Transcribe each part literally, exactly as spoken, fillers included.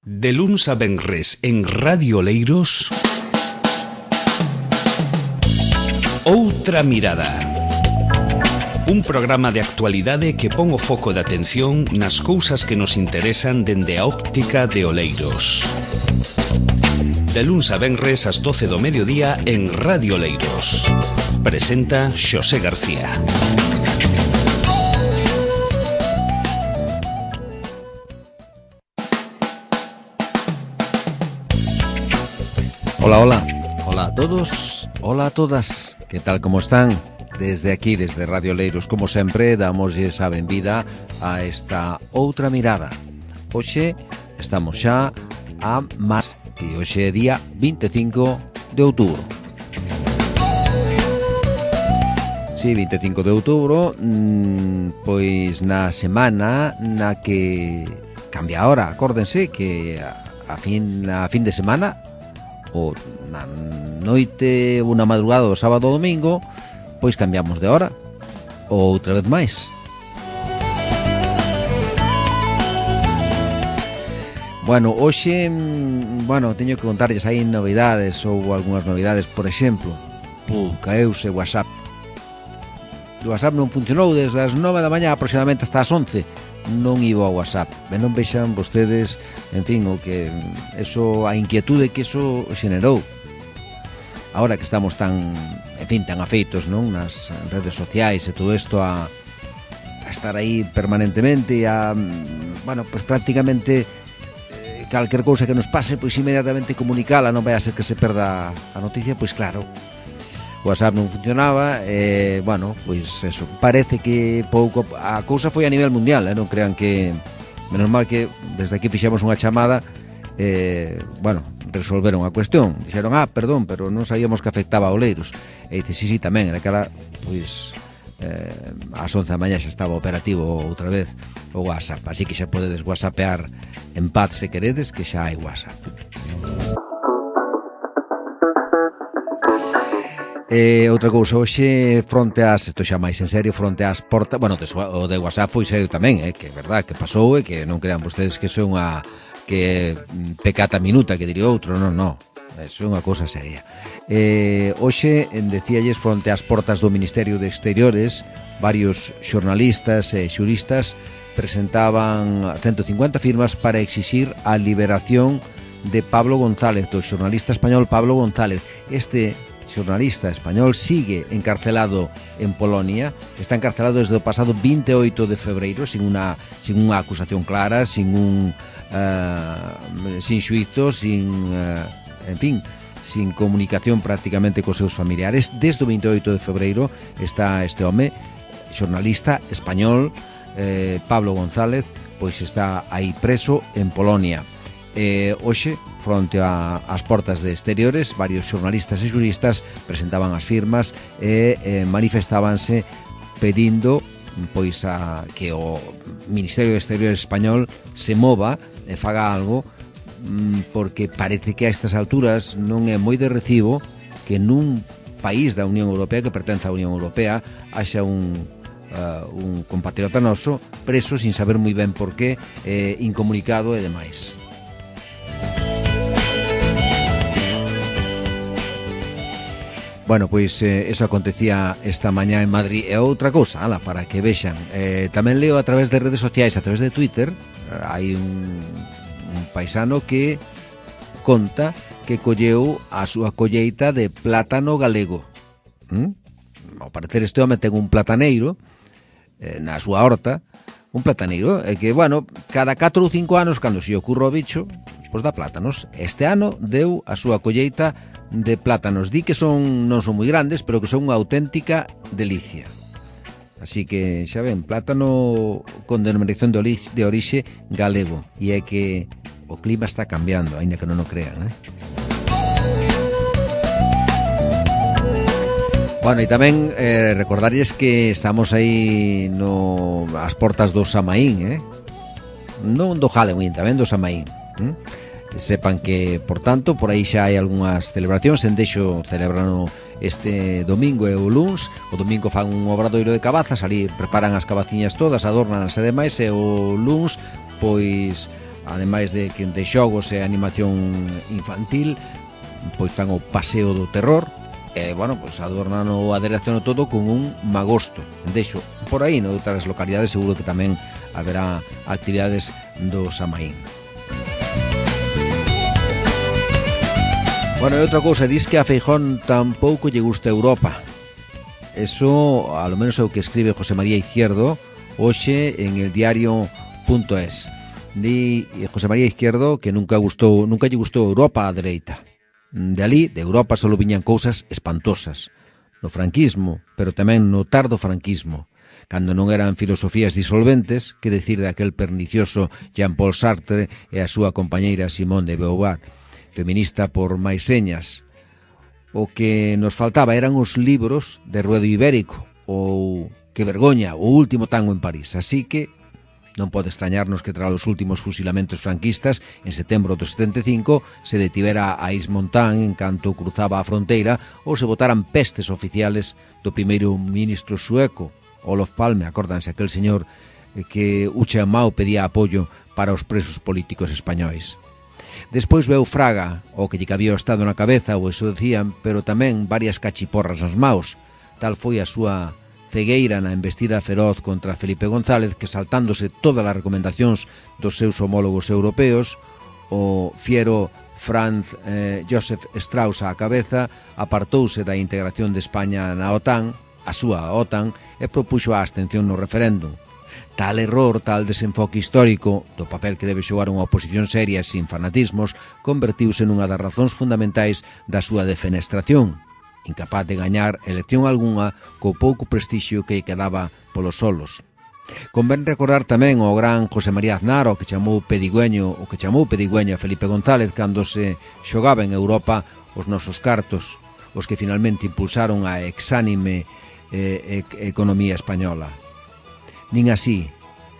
De luns a venres en Radio Oleiros, Outra Mirada. Un programa de actualidade que pon o foco de atención nas cousas que nos interesan dende a óptica de Oleiros. De luns a venres ás doce do mediodía en Radio Oleiros. Presenta Xosé García. Hola, hola, hola a todos, hola a todas, que tal como están? Desde aquí, desde Radio Oleiros, como sempre, damosles a benvida a esta Outra Mirada. Hoxe estamos xa a máis, e hoxe é día vinte e cinco de outubro. Sí, vinte e cinco de outubro, mmm, pois na semana na que cambia a hora, acórdense que a, a, fin, a fin de semana, o na noite ou na madrugada do sábado ou domingo, pois cambiamos de hora, ou outra vez máis. Bueno, hoxe, bueno, teño que contarlles aí novidades, ou algunhas novidades, por exemplo, pum, caeuse WhatsApp. O WhatsApp non funcionou desde as nove da mañá aproximadamente hasta as once. Non iba ao WhatsApp. E non vexan vostedes, en fin, o que eso, a inquietude que eso xenerou. Ahora que estamos tan, en fin, tan afeitos, non, nas redes sociais e todo isto a, a estar aí permanentemente e a, bueno, pues prácticamente eh, calquer cousa que nos pase, pois inmediatamente comunicala, non vai a ser que se perda a noticia, pois claro. O WhatsApp non funcionaba, e, bueno, pois eso, parece que pouco, a cousa foi a nivel mundial, eh? Non crean que, menos mal que desde aquí fixemos unha chamada, eh, bueno, resolveron a cuestión, dixeron, ah, perdón, pero non sabíamos que afectaba a Oleiros, e dice, sí, sí, tamén, naquela, pois, eh, ás once da mañá xa estaba operativo outra vez o WhatsApp, así que xa podedes whatsappear en paz se queredes, que xa hai WhatsApp. E outra cousa, hoxe fronte ás, isto xa máis en serio, fronte ás portas, bueno, o de WhatsApp foi serio tamén, eh, que é verdad, que pasou e que non crean vostedes que iso é unha que pecata minuta, que diría outro, non, non, iso é unha cousa seria. Eh, hoxe, decíalles, fronte ás portas do Ministerio de Exteriores, varios xornalistas e xuristas presentaban ciento cincuenta firmas para exixir a liberación de Pablo González, do xornalista español Pablo González. Este xornalista español sigue encarcelado en Polonia, está encarcelado desde o pasado vinte e oito de febreiro sin unha, sin unha acusación clara, sin un uh, sin xuízo, sin uh, en fin, sin comunicación prácticamente cos seus familiares. Desde o vinte e oito de febreiro está este home, xornalista español, eh, Pablo González, pois está aí preso en Polonia. Eh, hoxe, fronte a, ás portas de Exteriores, varios xornalistas e xuristas presentaban as firmas e eh, manifestábanse pedindo pois a, que o Ministerio de Exteriores español se mova e faga algo, porque parece que a estas alturas non é moi de recibo que nun país da Unión Europea, que pertence á Unión Europea, haxa un uh, un compatriota noso preso sin saber moi ben por qué, eh, incomunicado e demais. Bueno, pois eh, eso acontecía esta mañá en Madrid. E outra cousa, ala, para que vexan, eh, tamén leo a través de redes sociais, a través de Twitter, hai un, un paisano que conta que colleu a súa colleita de plátano galego. ¿Mm? Ao parecer este home ten un plataneiro eh, na súa horta, un plataneiro, e que, bueno, cada catro ou cinco anos, cando se ocurra o bicho, pois dá plátanos. Este ano deu a súa colleita de plátanos. Di que son non son moi grandes, pero que son unha auténtica delicia. Así que, xa ven, plátano con denominación de orixe, de orixe galego. E é que o clima está cambiando, aínda que non o crean, eh? Bueno, e tamén eh, recordarlles que estamos aí no as portas do Samaín, eh? Non do Halloween, tamén do Samaín, eh? Sepan que, por tanto, por aí xa hai algunhas celebracións. En Deixo celebrano este domingo e o luns. O domingo fan un obradoiro de cabazas, ali preparan as cabaciñas todas, adornan e demais, e o luns, pois, ademais de que de xogos e animación infantil, pois fan o paseo do terror, e, bueno, pois adornan o aderezo todo con un magosto. Deixo por aí, noutras localidades seguro que tamén haberá actividades do Samaín. Bueno, e outra cousa, dis que a Feijón tampouco lle gusta Europa. Eso, a lo menos é o que escribe José María Izquierdo hoxe en el diario punto es. Di José María Izquierdo que nunca gustou, nunca lle gustou Europa á dereita. De ali, de Europa, só viñan cousas espantosas. No franquismo, pero tamén no tardo franquismo, cando non eran filosofías disolventes, que decir daquel pernicioso Jean-Paul Sartre e a súa compañeira Simone de Beauvoir, feminista por máis señas. O que nos faltaba eran os libros de Ruedo Ibérico, ou Que vergoña, o último tango en París. Así que non pode extrañarnos que tras os últimos fusilamentos franquistas, en setembro do setenta e cinco, se detivera a Ismontán en canto cruzaba a fronteira ou se botaran pestes oficiales do primeiro ministro sueco, Olof Palme. Acórdanse aquel señor que Ucha Mao pedía apoio para os presos políticos españois. Despois veu Fraga, o que lle cabía o Estado na cabeza, ou eso decían, pero tamén varias cachiporras nas maus. Tal foi a súa cegueira na embestida feroz contra Felipe González, que, saltándose todas as recomendacións dos seus homólogos europeos, o fiero Franz eh, Josef Strauss á cabeza apartouse da integración de España na OTAN, a súa OTAN, e propuxo a abstención no referéndum. Tal error, tal desenfoque histórico do papel que debe xogar unha oposición seria e sin fanatismos, convertiuse nunha das razóns fundamentais da súa defenestración, incapaz de gañar elección algunha co pouco prestixio que quedaba polos solos. Convén recordar tamén o gran José María Aznar, o que chamou pedigüeño, o que chamou pedigüeño a Felipe González cando se xogaba en Europa os nosos cartos, os que finalmente impulsaron a exánime eh, e- economía española. Nin así,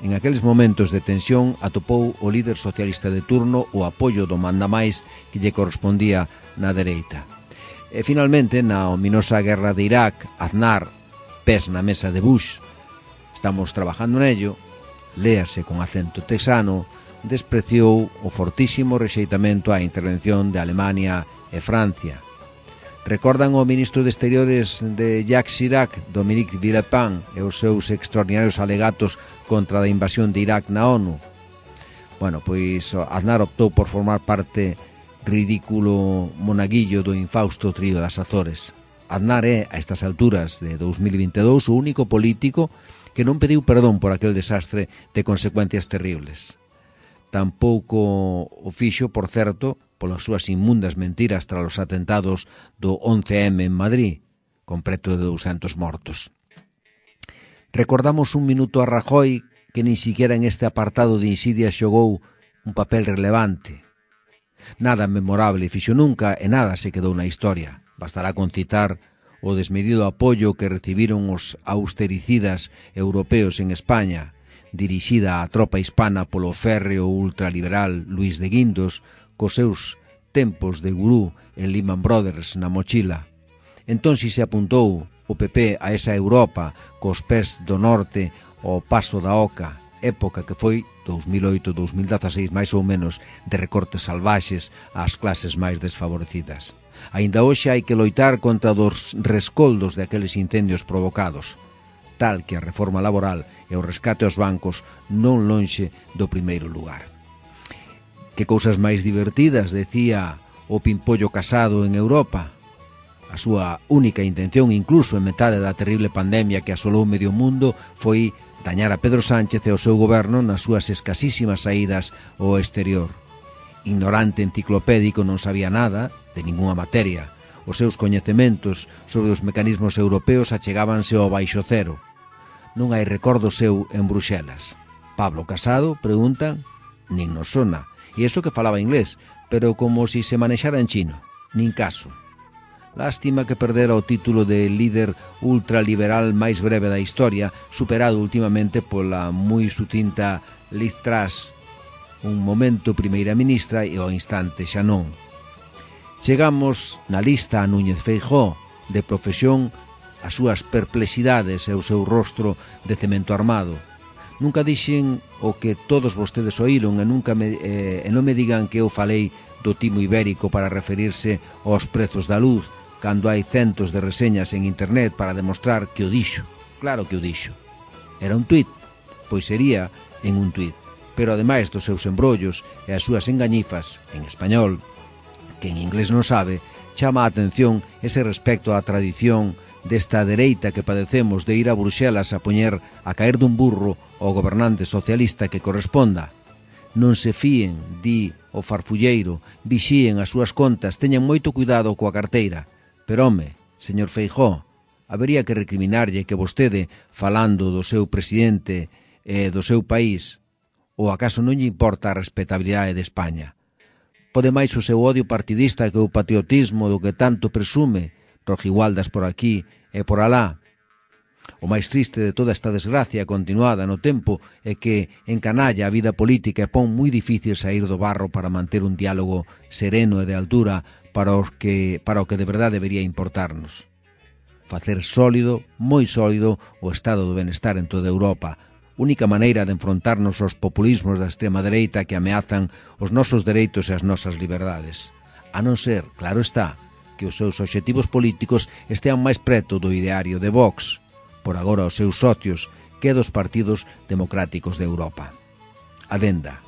en aqueles momentos de tensión, atopou o líder socialista de turno o apoio do mandamais que lle correspondía na dereita. E finalmente, na ominosa guerra de Irak, Aznar, pés na mesa de Bush, estamos trabajando nello, léase con acento texano, despreciou o fortísimo rexeitamento á intervención de Alemania e Francia. Recordan o ministro de Exteriores de Jacques Chirac, Dominique Villepin, e os seus extraordinarios alegatos contra a invasión de Irak na ONU. Bueno, pois Aznar optou por formar parte ridículo monaguillo do infausto trío das Azores. Aznar é, a estas alturas de dos mil vinte e dous, o único político que non pediu perdón por aquel desastre de consecuencias terribles. Tampouco o fixo, por certo, polas súas inmundas mentiras tras os atentados do once eme en Madrid, con preto de douscentos mortos. Recordamos un minuto a Rajoy, que nin siquiera en este apartado de insidia xogou un papel relevante. Nada memorable fixo nunca e nada se quedou na historia. Bastará con citar o desmedido apoio que recibiron os austericidas europeos en España, dirixida á tropa hispana polo férreo ultraliberal Luis de Guindos, cos seus tempos de gurú en Lehman Brothers na mochila. Entón si se apuntou o P P a esa Europa cos pés do norte ao paso da oca, época que foi dos mil oito a dos mil dezaseis máis ou menos de recortes salvaxes ás clases máis desfavorecidas. Aínda hoxe hai que loitar contra dos rescoldos de aqueles incendios provocados, tal que a reforma laboral e o rescate aos bancos non lonxe do primeiro lugar. Que cousas máis divertidas, decía o Pimpollo Casado en Europa. A súa única intención, incluso en metade da terrible pandemia que asolou medio mundo, foi dañar a Pedro Sánchez e o seu goberno nas súas escasísimas saídas ao exterior. Ignorante enciclopédico, non sabía nada de ningunha materia. Os seus coñecementos sobre os mecanismos europeos achegábanse ao baixo cero. Non hai recordo seu en Bruxelas. Pablo Casado, preguntan, nin nos sona. E iso que falaba inglés, pero como si se manexara en chino. Nin caso. Lástima que perdera o título de líder ultraliberal máis breve da historia, superado últimamente pola moi sucinta Liz Truss, un momento primeira ministra e ao instante xa non. Chegamos na lista a Núñez Feijóo, de profesión, as súas perplexidades e o seu rostro de cemento armado. Nunca dixen o que todos vostedes oíron e, nunca me, eh, e non me digan que eu falei do timo ibérico para referirse aos prezos da luz, cando hai centos de reseñas en internet para demostrar que o dixo. Claro que o dixo. Era un tuit, pois sería en un tuit. Pero ademais dos seus embrollos e as súas engañifas en español, que en inglés non sabe, chama a atención ese respecto á tradición desta dereita que padecemos de ir a Bruxelas a poñer a caer dun burro ao gobernante socialista que corresponda. Non se fíen, di o farfulleiro, vixíen as súas contas, teñan moito cuidado coa carteira. Pero, home, señor Feijóo, habería que recriminarlle que vostede, falando do seu presidente e do seu país, ou acaso non lle importa a respetabilidade de España? Pode máis o seu odio partidista que o patriotismo do que tanto presume, rojigualdas por aquí e por alá. O máis triste de toda esta desgracia continuada no tempo é que encanalla a vida política e pon moi difícil sair do barro para manter un diálogo sereno e de altura para, os que, para o que de verdade debería importarnos. Facer sólido, moi sólido, o estado do benestar en toda Europa, única maneira de enfrontarnos aos populismos da extrema dereita que ameazan os nosos dereitos e as nosas liberdades. A non ser, claro está, que os seus obxectivos políticos estean máis preto do ideario de Vox, por agora os seus socios, que dos partidos democráticos de Europa. Adenda.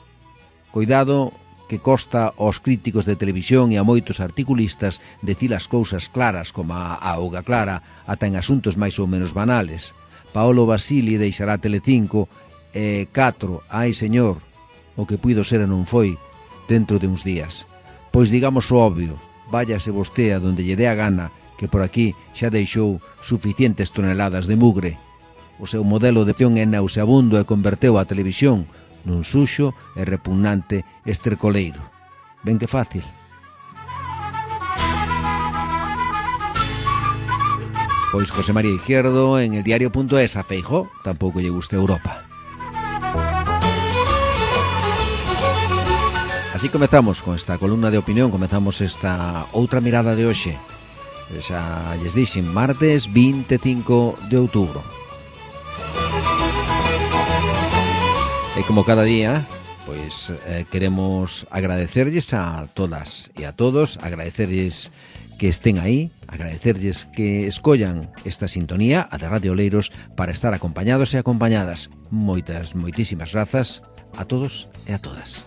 Coidado que costa aos críticos de televisión e a moitos articulistas decir as cousas claras como a auga clara ata en asuntos máis ou menos banales. Paolo Basili deixará Telecinco e catro, ai señor, o que puido ser e non foi, dentro de uns días. Pois digamos o obvio, váyase vosté a donde lle dé a gana, que por aquí xa deixou suficientes toneladas de mugre. O seu modelo de acción é nauseabundo e converteu a televisión nun suxo e repugnante estercoleiro. Ben que fácil. Pois José María Izquierdo en el diario.es a Feijóo tampouco lle gusta Europa. Así comezamos con esta columna de opinión, comezamos esta outra mirada de hoxe. Xa lles dixen, martes vinte e cinco de outubro. E como cada día, pois eh, queremos agradecerlles a todas e a todos, agradecerlles que estén aí, agradecerlles que escollan esta sintonía, a de Radio Oleiros, para estar acompañados e acompañadas. Moitas, moitísimas grazas a todos e a todas.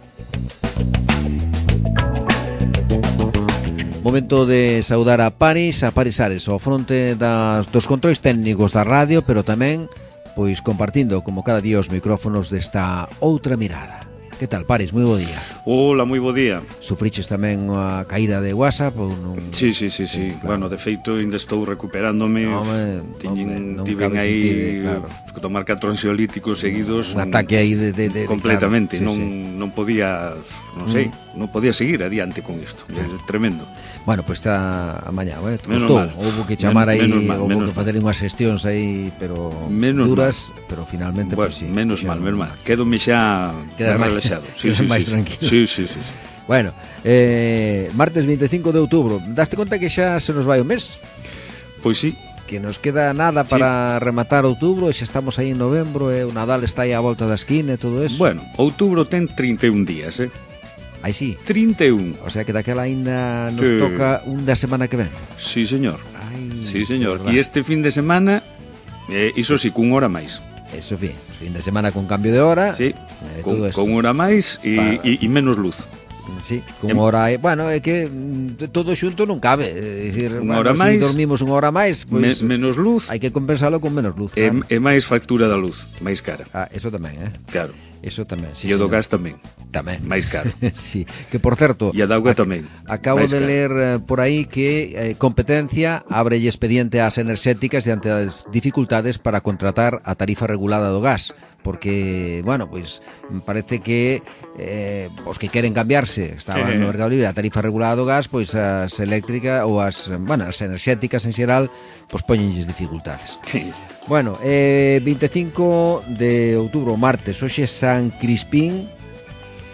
Momento de saudar a Paris, a Paris Ares, ao fronte das, dos controis técnicos da radio, pero tamén, pois, compartindo, como cada día, os micrófonos desta outra mirada. Que tal, Paris? Moi bo día. Hola, moi bo día. Sufriches tamén a caída de WhatsApp ou non? Sí, sí, sí, sí. Claro. Bueno, de feito, ainda estou recuperándome. No, home, Tiñen, non tiven cabe aí sentir, claro. Tomar catro ansiolíticos seguidos. Un ataque aí de... de, de completamente. Claro, sí, non, sí. non podía, non sei, mm. non podía seguir adiante con isto. É tremendo. Bueno, pois pues está amañá, eh? Menos Costou. mal. Houve que chamar aí, houve que mal. facer unhas xestións aí, pero menos duras, mal. Pero finalmente, bueno, pues sí. Menos mal, menos mal. Quédome xa relaxado. Sí, sí, máis sí, tranquilo. Sí, sí, sí, sí. Bueno, eh, martes vinte e cinco de outubro. Daste conta que xa se nos vai o mes? Pois sí. Que nos queda nada para sí. rematar outubro, e xa estamos aí en novembro e o Nadal está aí á volta da esquina e todo eso. Bueno, outubro ten trinta e un días, eh? Aí sí. trinta e un. O sea que daquela ainda nos sí. toca un da semana que ven. Sí, señor. Ai, sí, señor. E este fin de semana, eh, iso sí, cun hora máis. Eso, fin. Fin de semana con cambio de hora. Sí, eh, con, con hora máis e, e, e menos luz. Sí, con em... hora, bueno, é que todo xunto non cabe, é dicir, unha bueno, hora máis, si dormimos unha hora máis, pois me, menos luz. Hai que compensalo con menos luz. E, claro. e máis factura da luz, máis cara. Ah, eso tamén, eh? Claro. Eso tamén, sí. E o do gas tamén. Tamén. Máis caro. Sí, que por certo, e a da auga tamén. Acabo de ler eh, por aí que eh, competencia abre expediente ás enerxéticas diante das dificultades para contratar a tarifa regulada do gas, porque, bueno, pois parece que eh, os que queren cambiarse estaban eh. no mercado libre a tarifa regulada do gas, pois as eléctricas ou as, bueno, as enerxéticas en xeral, pois poñenlles dificultades. Bueno, eh, vinte e cinco de outubro, martes, hoxe San Crispín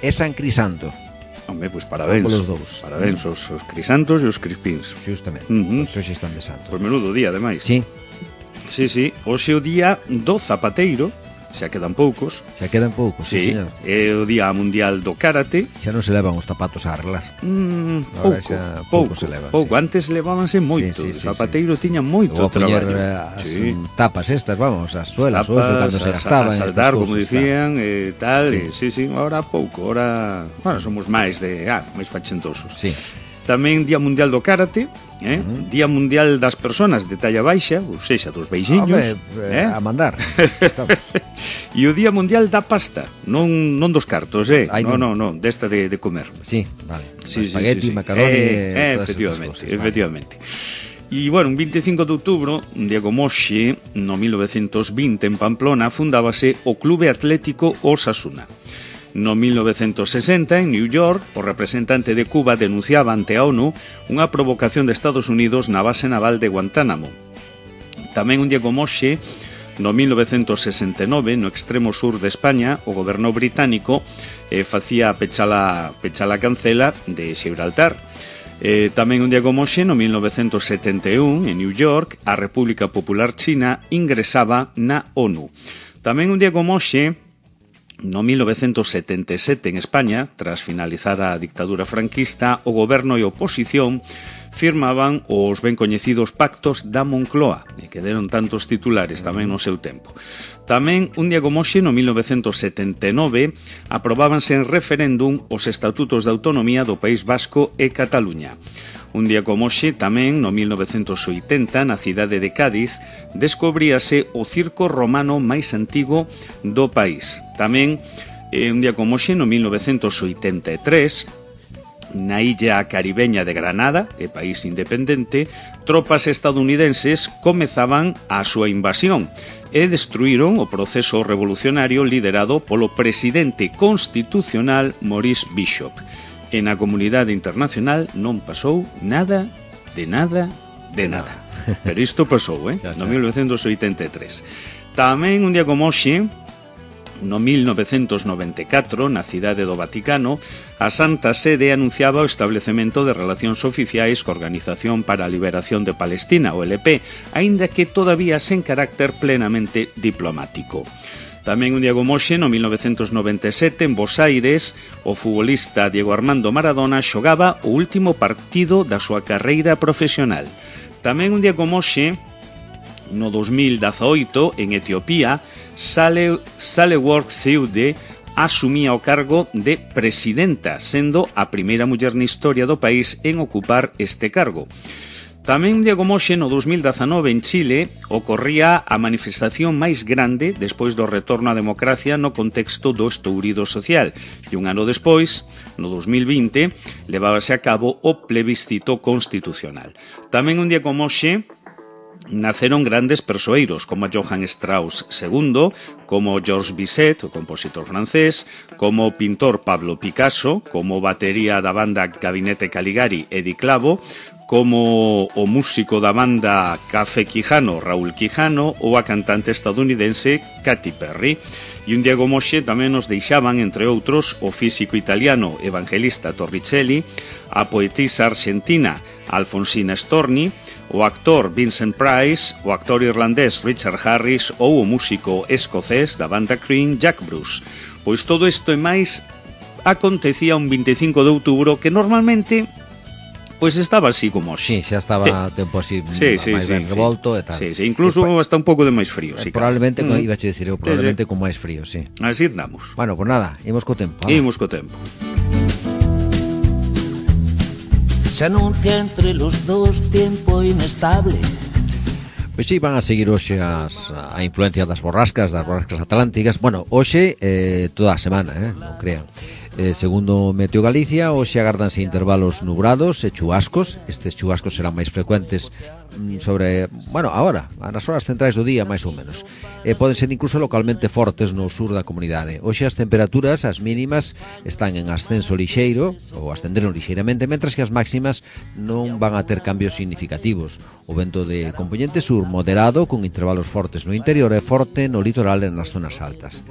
e San Crisanto. Home, pois parabéns. Os dous. Parabéns os, os crisantos e os crispíns. Justamente. Uh-huh. Pois hoxe están de santo. Pois menudo día, ademais. Sí. Sí, sí. Hoxe o día do zapateiro, xa quedan poucos. Xa quedan poucos, sí, sí, señor. É o Día Mundial do Karate. Xa non se levan os zapatos a arreglar. Mm, Ahora pouco, xa pouco, pouco se levan, pouco. sí. Antes levábanse moito. Sí, sí, sí, o zapateiro sí. tiña moito Ou a poñer traballo. eh, as Sí. tapas estas, vamos, as suelas, ou eso cando se Tapas, gastaban. a estas saldar, cousas, como dicían, e tal, Sí. e, sí, sí, ahora pouco, ahora, bueno, somos máis de, ah, máis fachentosos. Sí. Tamén Día Mundial do Karate, eh? Uh-huh. Día Mundial das Persoas de talla baixa, ou sexa, dos beixiños, Hombre, eh, eh? a mandar. Estamos. E o Día Mundial da Pasta, non non dos cartos, eh? Ai, non, non. non, non, desta de, de comer. Sí, vale. Sí, sí, Espagueti, sí, sí. macaroni, eh, eh, eh, todas estas efectivamente, cosas, vale. efectivamente. E, bueno, un veinticinco de outubro, un día como hoxe, no mil novecientos vinte, en Pamplona, fundábase o Clube Atlético Osasuna. No mil novecientos sesenta, en New York, o representante de Cuba denunciaba ante a ONU unha provocación de Estados Unidos na base naval de Guantánamo. Tamén un día como hoxe, no mil novecientos sesenta e nove, no extremo sur de España, o goberno británico eh, facía a pechala, pechala cancela de Gibraltar. Eh, tamén un día como hoxe, no mil novecientos setenta e un, en New York, a República Popular China ingresaba na ONU. Tamén un día como hoxe, no mil novecientos setenta e sete, en España, tras finalizar a dictadura franquista, o goberno e a oposición firmaban os ben coñecidos pactos da Moncloa, e que deron tantos titulares tamén no seu tempo. Tamén, un día como hoxe, no mil novecientos setenta e nove, aprobábanse en referéndum os estatutos de autonomía do País Vasco e Cataluña. Un día como hoxe, tamén, no mil novecientos oitenta, na cidade de Cádiz, descubríase o circo romano máis antigo do país. Tamén, eh, un día como hoxe, no mil novecientos oitenta e tres, na illa caribeña de Granada, e país independente, tropas estadounidenses comezaban a súa invasión e destruíron o proceso revolucionario liderado polo presidente constitucional Maurice Bishop. E na comunidade internacional non pasou nada, de nada, de nada. Pero isto pasou, eh? No mil novecientos oitenta e tres. Tamén un día como hoxe, no mil novecientos noventa e catro, na cidade do Vaticano, a Santa Sede anunciaba o establecemento de relacións oficiais coa Organización para a Liberación de Palestina, o L P, aínda que todavía sen carácter plenamente diplomático. Tamén un día como hoxe, no mil novecientos noventa e sete, en Bos Aires, o futbolista Diego Armando Maradona xogaba o último partido da súa carreira profesional. Tamén un día como hoxe, no dos mil dezaoito, en Etiopía, Sale, Sahle-Work Zewde asumía o cargo de presidenta, sendo a primeira muller na historia do país en ocupar este cargo. Tamén un día como hoxe, no dos mil dezanove, en Chile, ocorría a manifestación máis grande despois do retorno á democracia no contexto do estourido social. E un ano despois, no dos mil vinte, levábase a cabo o plebiscito constitucional. Tamén un día como hoxe, naceron grandes persoeiros como Johann Strauss segundo, como Georges Bizet, o compositor francés, como o pintor Pablo Picasso, como batería da banda Gabinete Caligari Eddie Clavo, como o músico da banda Café Quijano Raúl Quijano ou a cantante estadounidense Katy Perry. E un día como hoxe tamén nos deixaban, entre outros, o físico italiano Evangelista Torricelli, a poetisa argentina Alfonsina Storni, o actor Vincent Price, o actor irlandés Richard Harris ou o músico escocés da banda Cream Jack Bruce. Pois todo isto e máis acontecía un veinticinco de outubro, que normalmente pois estaba así como hoxe. Sí, xa estaba sí. tempo así sí, sí, máis sí, ben sí. revolto e tal. Sí, sí, incluso e, hasta un pouco de máis frío. Eh, sí, probablemente, claro. mm. iba a dicir eu, probablemente sí, sí. con máis frío, sí. Así andamos. Bueno, pues nada, imos co tempo. Imos co tempo. Se anuncia entre los dos tiempo inestable. Pois sí, van a seguir hoxe as, a influencia das borrascas, das borrascas atlánticas. Bueno, hoxe eh, toda a semana, eh, non crean. Eh, segundo Meteo Galicia, hoxe agárdanse intervalos nubrados e chubascos. Estes chubascos serán máis frecuentes mm, sobre, bueno, agora, nas horas centrais do día, máis ou menos. Eh, poden ser incluso localmente fortes no sur da comunidade. Hoxe as temperaturas, as mínimas, están en ascenso lixeiro, ou ascenderon lixeiramente, mentras que as máximas non van a ter cambios significativos. O vento de componente sur moderado, con intervalos fortes no interior e forte no litoral e nas zonas altas.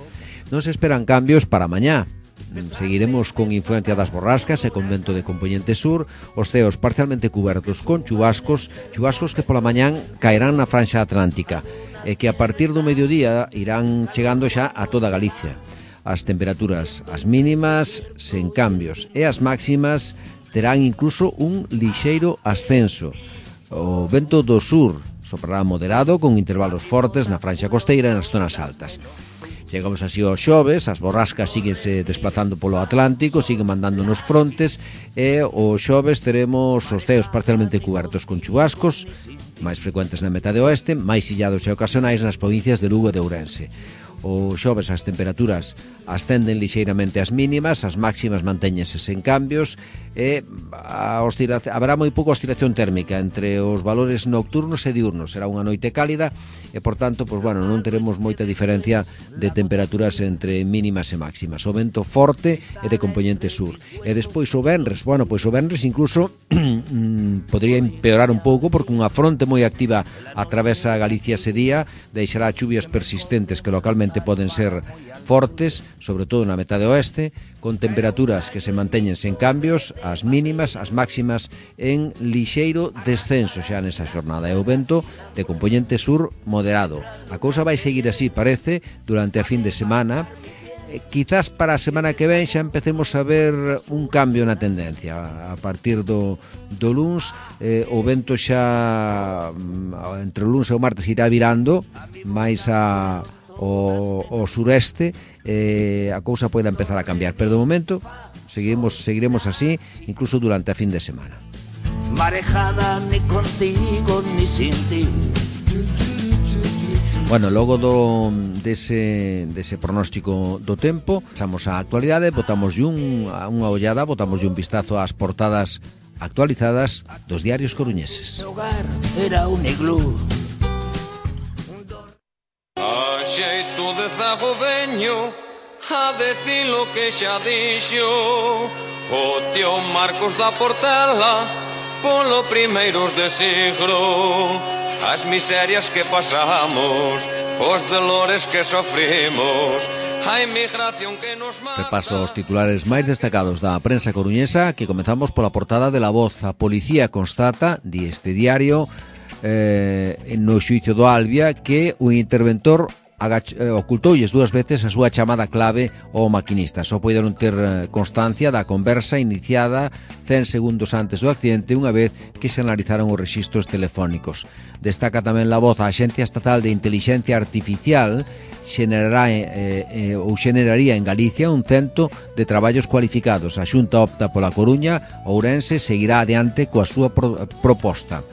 Non se esperan cambios para mañá. Seguiremos con influencia das borrascas e con vento de componente sur, os ceos parcialmente cubertos con chubascos, chubascos que pola mañán caerán na franxa atlántica. e que a partir do mediodía irán chegando xa a toda Galicia. As temperaturas, as mínimas, sen cambios, e as máximas terán incluso un lixeiro ascenso. O vento do sur soprará moderado con intervalos fortes na franxa costeira e nas zonas altas. Chegamos así aos xoves, as borrascas síguense desplazando polo Atlántico, siguen mandando nos frontes e os xoves teremos os ceos parcialmente cubertos con chubascos, máis frecuentes na metade oeste, máis illados e ocasionais nas provincias de Lugo e de Ourense. O xoves as temperaturas ascenden lixeiramente as mínimas, as máximas mantéñense sen cambios e a oscilación, haberá moi pouca oscilación térmica entre os valores nocturnos e diurnos. Será unha noite cálida e, por tanto, pues, bueno, non teremos moita diferencia de temperaturas entre mínimas e máximas. O vento forte e de componente sur. E despois o venres, bueno, pois o venres incluso podría empeorar un pouco porque unha fronte moi activa atravesa Galicia ese día, deixará chuvias persistentes que localmente poden ser fortes, sobre todo na metade oeste, con temperaturas que se manteñen sen cambios, as mínimas, as máximas en lixeiro descenso xa nesa xornada. E o vento de componente sur moderado. A cousa vai seguir así, parece, durante a fin de semana. Eh, quizás para a semana que ven xa empecemos a ver un cambio na tendencia. A partir do, do luns, eh, o vento xa entre o luns e o martes irá virando máis a O, o sureste, eh, a cousa pode empezar a cambiar, pero de momento seguiremos, seguiremos así incluso durante a fin de semana. Marejada ni contigo ni sin ti. Bueno, logo do, dese, dese pronóstico do tempo, pasamos á actualidade, botamos un, unha ollada, botamos un vistazo ás portadas actualizadas dos diarios coruñeses. O hogar era un iglú. Xeito de zago veño a decir lo que xa dixo o tío Marcos da Portela polo primeiros de siglo, as miserias que pasamos, os dolores que sofrimos, a inmigración que nos mata. Repaso os titulares máis destacados da prensa coruñesa, que comezamos pola portada de La Voz. A policía constata, di este diario, eh, no xuicio do Albia, que o interventor Agach, eh, ocultoulles dúas veces a súa chamada clave ao maquinista. Só poideron ter constancia da conversa iniciada cen segundos antes do accidente, unha vez que se analizaron os rexistros telefónicos. Destaca tamén La Voz: a Axencia Estatal de Inteligencia Artificial xenerará, eh, eh, ou xeneraría en Galicia un cento de traballos cualificados. A Xunta opta pola Coruña, Ourense seguirá adiante coa súa pro, proposta.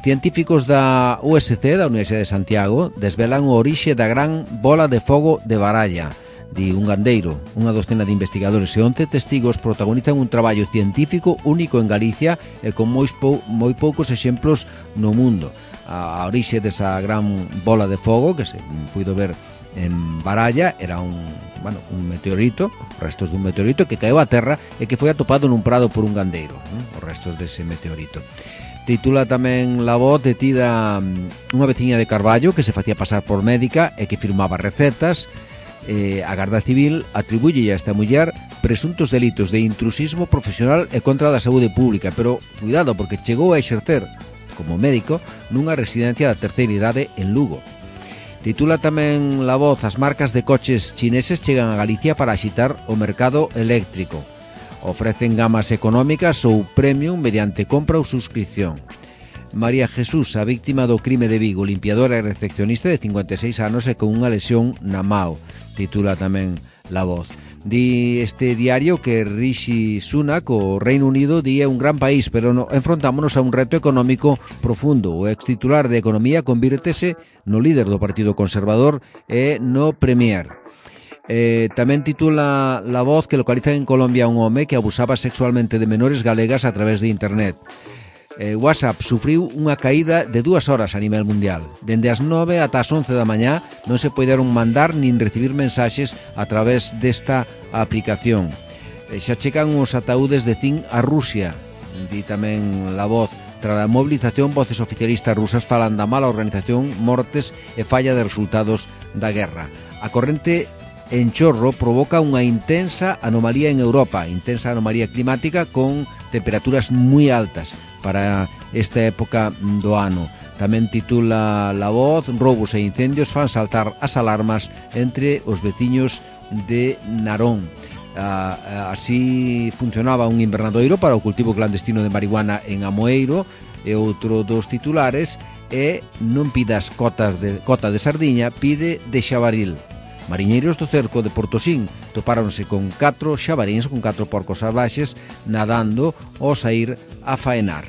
Científicos da U S C, da Universidade de Santiago, desvelan o orixe da gran bola de fogo de Baralla, di un gandeiro. Unha docena de investigadores e once testigos protagonizan un traballo científico único en Galicia e con moi, pou, moi poucos exemplos no mundo. A, a orixe desa gran bola de fogo, que se puido ver en Baralla, era un, bueno, un meteorito, restos dun meteorito que caeu á terra e que foi atopado nun prado por un gandeiro, ¿no? Os restos dese meteorito. Titula tamén La Voz: detida unha veciña de Carballo que se facía pasar por médica e que firmaba recetas. Eh, a Garda Civil atribúlle a esta muller presuntos delitos de intrusismo profesional e contra da saúde pública, pero cuidado, porque chegou a exercer como médico nunha residencia da terceira idade en Lugo. Titula tamén La Voz: as marcas de coches chineses chegan a Galicia para axitar o mercado eléctrico. Ofrecen gamas económicas ou premium mediante compra ou suscripción. María Jesús, a víctima do crime de Vigo, limpiadora e recepcionista de cincuenta e seis anos e con unha lesión na mao, titula tamén La Voz. Di este diario que Rishi Sunak, o Reino Unido, di é un gran país, pero no, enfrontámonos a un reto económico profundo. O ex titular de Economía convírtese no líder do Partido Conservador e no Premier. Eh, tamén titula La Voz que localiza en Colombia un home que abusaba sexualmente de menores galegas a través de internet. Eh, WhatsApp sufriu unha caída de dúas horas a nivel mundial. Dende as nove ata as once da mañá non se poderon mandar nin recibir mensaxes a través desta aplicación. Eh, xa checan os ataúdes de zinc a Rusia, di tamén La Voz. Tras a movilización, voces oficialistas rusas falan da mala organización, mortes e falla de resultados da guerra. A corrente en chorro provoca unha intensa anomalía en Europa, intensa anomalía climática con temperaturas moi altas para esta época do ano. Tamén titula La Voz: roubos e incendios fan saltar as alarmas entre os veciños de Narón. Uh, así funcionaba un invernadoiro para o cultivo clandestino de marihuana en Amoeiro. E outro dos titulares é: non pidas cotas de, cota de sardiña, pide de xabaril. Mariñeiros do cerco de Portosín topáronse con catro xabaríns, con catro porcos salvaxes, nadando ao saír a faenar.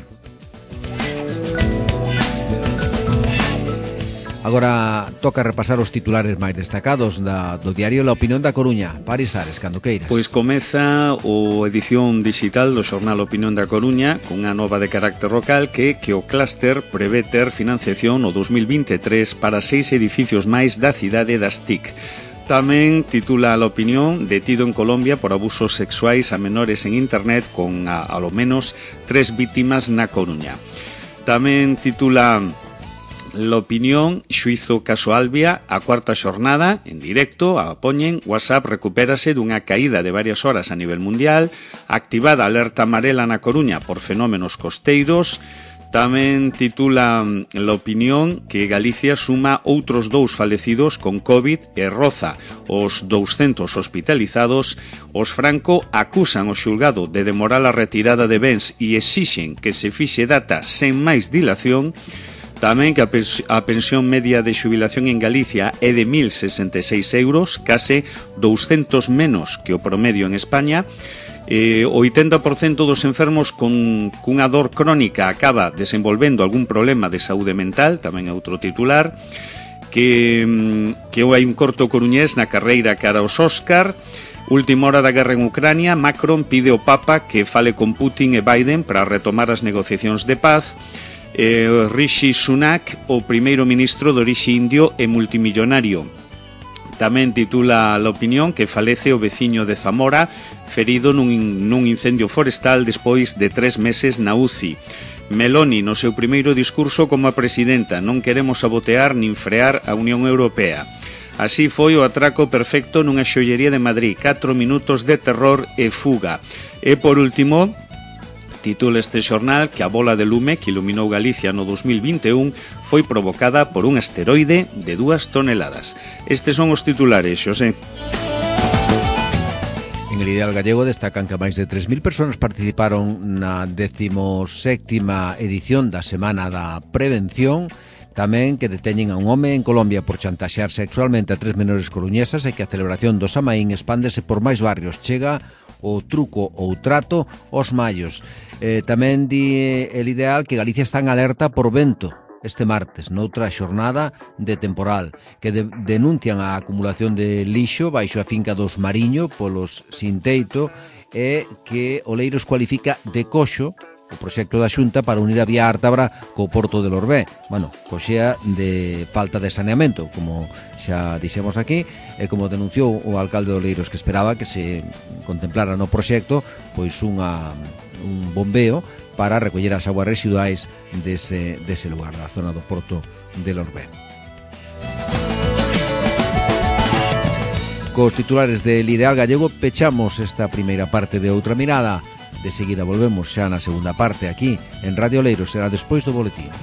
Agora toca repasar os titulares máis destacados da, do diario La Opinión da Coruña. Paris Ares, cando queiras. Pois comeza o edición digital do xornal Opinión da Coruña cunha nova de carácter local que que o clúster prevé ter financiación no dos mil vinte e tres para seis edificios máis da cidade das T I C. Tamén titula a La Opinión: detido en Colombia por abusos sexuais a menores en internet con a, a lo menos tres vítimas na Coruña. Tamén titula La Opinión: xuizo caso Albia, a cuarta xornada en directo, a poñen. WhatsApp recupérase dunha caída de varias horas a nivel mundial, activada alerta amarela na Coruña por fenómenos costeiros. Tamén titula La Opinión que Galicia suma outros dous falecidos con COVID e roza os douscentos hospitalizados. Os Franco acusan o xulgado de demorar a retirada de bens e exixen que se fixe data sen máis dilación. Tamén que a pensión media de xubilación en Galicia é de mil sesenta e seis euros, case douscentos menos que o promedio en España. Eh, o oitenta por cento dos enfermos con cunha dor crónica acaba desenvolvendo algún problema de saúde mental, tamén é outro titular. Que, que hai un corto coruñés na carreira cara aos Óscar. Última hora da guerra en Ucrania, Macron pide ao Papa que fale con Putin e Biden para retomar as negociacións de paz. Eh, Rishi Sunak, o primeiro ministro de orixe indio e multimillonario. Tamén titula La Opinión que falece o veciño de Zamora, ferido nun, nun incendio forestal despois de tres meses na U C I. Meloni, no seu primeiro discurso como a presidenta: non queremos sabotear nin frear a Unión Europea. Así foi o atraco perfecto nunha xollería de Madrid, catro minutos de terror e fuga. E por último, titula este xornal que a bola de lume que iluminou Galicia no dos mil vinte e un foi provocada por un asteroide de dúas toneladas. Estes son os titulares, Xosé. En el Ideal Gallego destacan que máis de tres mil persoas participaron na decimoséptima edición da Semana da Prevención. Tamén que deteñen a un home en Colombia por chantaxear sexualmente a tres menores coruñesas e que a celebración do Samaín expándese por máis barrios. Chega o truco ou trato aos mallos. Eh, tamén di El Ideal que Galicia está en alerta por vento este martes, noutra xornada de temporal, que de, denuncian a acumulación de lixo baixo a finca dos Mariño polos sin teito e que Oleiros cualifica de coxo o proxecto da Xunta para unir a vía Ártabra co porto de Lorbé. Bueno, coxea de falta de saneamento, como xa dixemos aquí, e como denunciou o alcalde de Oleiros, que esperaba que se contemplara no proxecto pois unha, un bombeo para recoller as aguas residuais dese, dese lugar, da zona do porto de Lorbé. Cos titulares del Ideal Gallego pechamos esta primeira parte de Outra Mirada. De seguida volvemos xa na segunda parte aquí en Radio Oleiros, será despois do boletín.